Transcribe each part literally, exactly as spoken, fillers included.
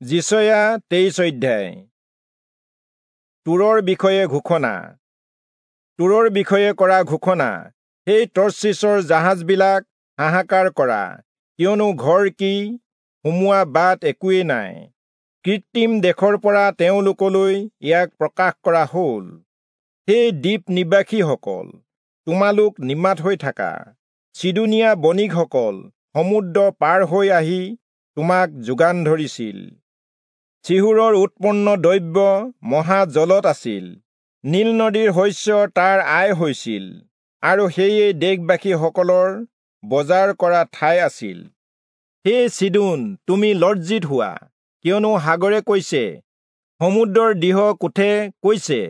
যিচয়া তেইশ অধ্যায়। তূৰৰ বিষয়ে ঘোষণা। তূৰৰ বিষয়ে কৰা ঘোষণা, সেই তৰ্চীচৰ জাহাজবিলাক হাহাকাৰ কৰা, কিয়নো ঘৰ কি সোমোৱা বাট একোৱেই নাই। কৃত্ৰিম দেশৰ পৰা তেওঁলোকলৈ ইয়াক প্ৰকাশ কৰা হ'ল। সেই দ্বীপ নিবাসীসকল, তোমালোক নিমাত হৈ থাকা। চিদোনীয়া বণিকসকল সমুদ্ৰ পাৰ হৈ আহি তোমাক যোগান ধৰিছিল। চিহোৰৰ উৎপন্ন দ্ৰব্য মহাজলত আছিল, নীল নদীৰ শস্য তাৰ আয় হৈছিল, আৰু সেয়ে দেশবাসীসকলৰ বজাৰ কৰা ঠাই আছিল। হে চিদোন, তুমি লজ্জিত হোৱা, কিয়নো সাগৰে কৈছে, সমুদ্ৰৰ দৃঢ় কোঠে কৈছে,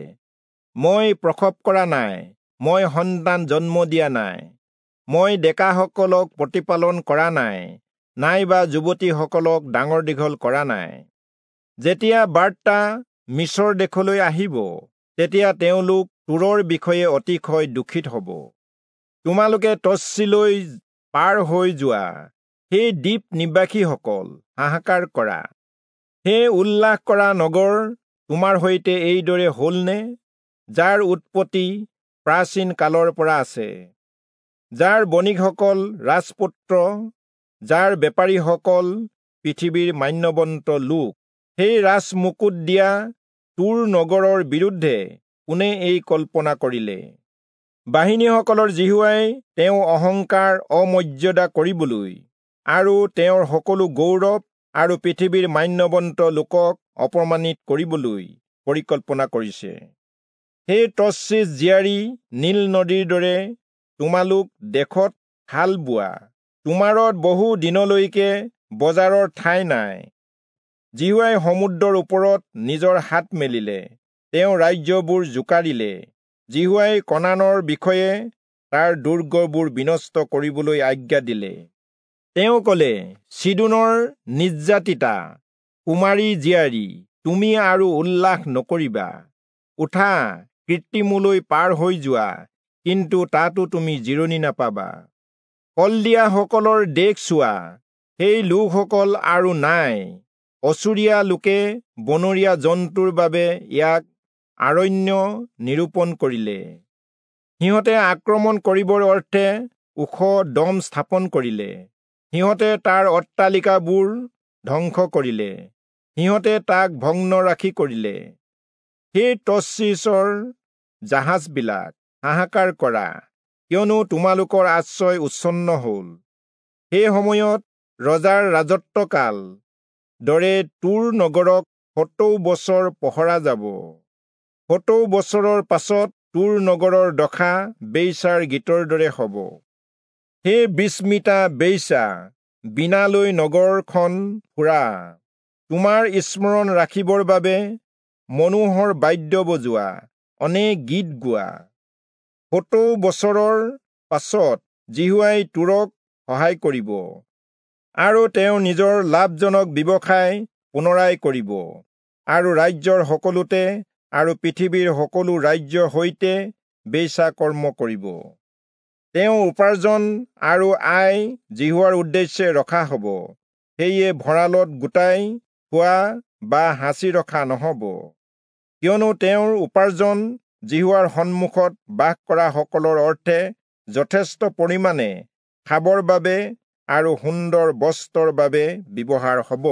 মই প্ৰসৱ কৰা নাই, মই সন্তান জন্ম দিয়া নাই, মই ডেকাসকলক প্ৰতিপালন কৰা নাই, নাইবা যুৱতীসকলক ডাঙৰ দীঘল কৰা নাই। যেতিয়া বাৰ্তা মিচৰ দেশলৈ আহিব, তেতিয়া তেওঁলোক তূৰৰ বিষয়ে অতিশয় দুখিত হ'ব। তোমালোকে তৰ্চীচলৈ পাৰ হৈ যোৱা, সেই দ্বীপ নিবাসীসকল, হাহাকাৰ কৰা। হে উল্লাস কৰা নগৰ, তোমাৰ সৈতে এইদৰে হ'লনে, যাৰ উৎপত্তি প্ৰাচীন কালৰ পৰা আছে, যাৰ বণিকসকল ৰাজপুত্ৰ, যাৰ বেপাৰীসকল পৃথিৱীৰ মান্যৱন্ত লোক? সেই ৰাজমুকুট দিয়া তূৰ নগৰৰ বিৰুদ্ধে কোনে এই কল্পনা কৰিলে? বাহিনীসকলৰ যিহোৱাই তেওঁ অহংকাৰ অমৰ্যাদা কৰিবলৈ আৰু তেওঁৰ সকলো গৌৰৱ আৰু পৃথিৱীৰ মান্যৱন্ত লোকক অপমানিত কৰিবলৈ পৰিকল্পনা কৰিছে। সেই তৰ্চীচ জীয়াৰী, নীল নদীৰ দৰে তোমালোক দেশত হাল বোৱা, তোমাৰত বহু দিনলৈকে বজাৰৰ ঠাই নাই। যিহোৱাই সমুদ্ৰৰ ওপৰত নিজৰ হাত মেলিলে, তেওঁ ৰাজ্যবোৰ জোকাৰিলে। যিহোৱাই কনানৰ বিষয়ে তাৰ দুৰ্গবোৰ বিনষ্ট কৰিবলৈ আজ্ঞা দিলে। তেওঁ ক'লে, চিদোনৰ নিৰ্যাতিতা কুমাৰী জীয়াৰী, তুমি আৰু উল্লাস নকৰিবা। উঠা, কৃত্ৰিমলৈ পাৰ হৈ যোৱা, কিন্তু তাতো তুমি জিৰণি নাপাবা। কলদিয়াসকলৰ দেশ চোৱা, সেই লোকসকল আৰু নাই। অচুৰীয়া লোকে বনৰীয়া জন্তুৰ বাবে ইয়াক আৰণ্য নিৰূপণ কৰিলে। সিহঁতে আক্ৰমণ কৰিবৰ অৰ্থে ওখ দম স্থাপন কৰিলে। সিহঁতে তাৰ অট্টালিকাবোৰ ধ্বংস কৰিলে, সিহঁতে তাক ভগ্নৰাশি কৰিলে। সেই তৰ্চীচৰ জাহাজবিলাক, হাহাকাৰ কৰা, কিয়নো তোমালোকৰ আশ্ৰয় উচ্ছন্ন হ'ল। সেই সময়ত ৰজাৰ ৰাজত্বকাল দৰে তূৰ নগৰক সত্তৰ বছৰ পহৰা যাব। সত্তৰ বছৰৰ পাছত তূৰ নগৰৰ দশা বেশ্যাৰ গীতৰ দৰে হ'ব। হে বিস্মিতা বেশ্যা, বীণালৈ নগৰখন ফুৰা, তোমাৰ স্মৰণ ৰাখিবৰ বাবে মনোহৰ বাদ্য বজোৱা, অনেক গীত গোৱা। সত্তৰ বছৰৰ পাছত যিহোৱাই তূৰক সহায় কৰিব, আৰু তেওঁ নিজৰ লাভজনক ব্যৱসায় পুনৰাই কৰিব, আৰু ৰাজ্যৰ সকলোতে আৰু পৃথিৱীৰ সকলো ৰাজ্যৰ সৈতে বেচা কৰ্ম কৰিব। তেওঁ উপাৰ্জন আৰু আয় যিহোৱাৰ উদ্দেশ্যে ৰখা হ'ব, সেয়ে ভঁৰালত গোটাই থোৱা বা সাঁচি ৰখা নহ'ব, কিয়নো তেওঁৰ উপাৰ্জন যিহোৱাৰ সন্মুখত বাস কৰা সকলৰ অৰ্থে যথেষ্ট পৰিমাণে খাবৰ বাবে আৰু সুন্দৰ বস্ত্ৰৰ বাবে ব্যৱহাৰ হ'ব।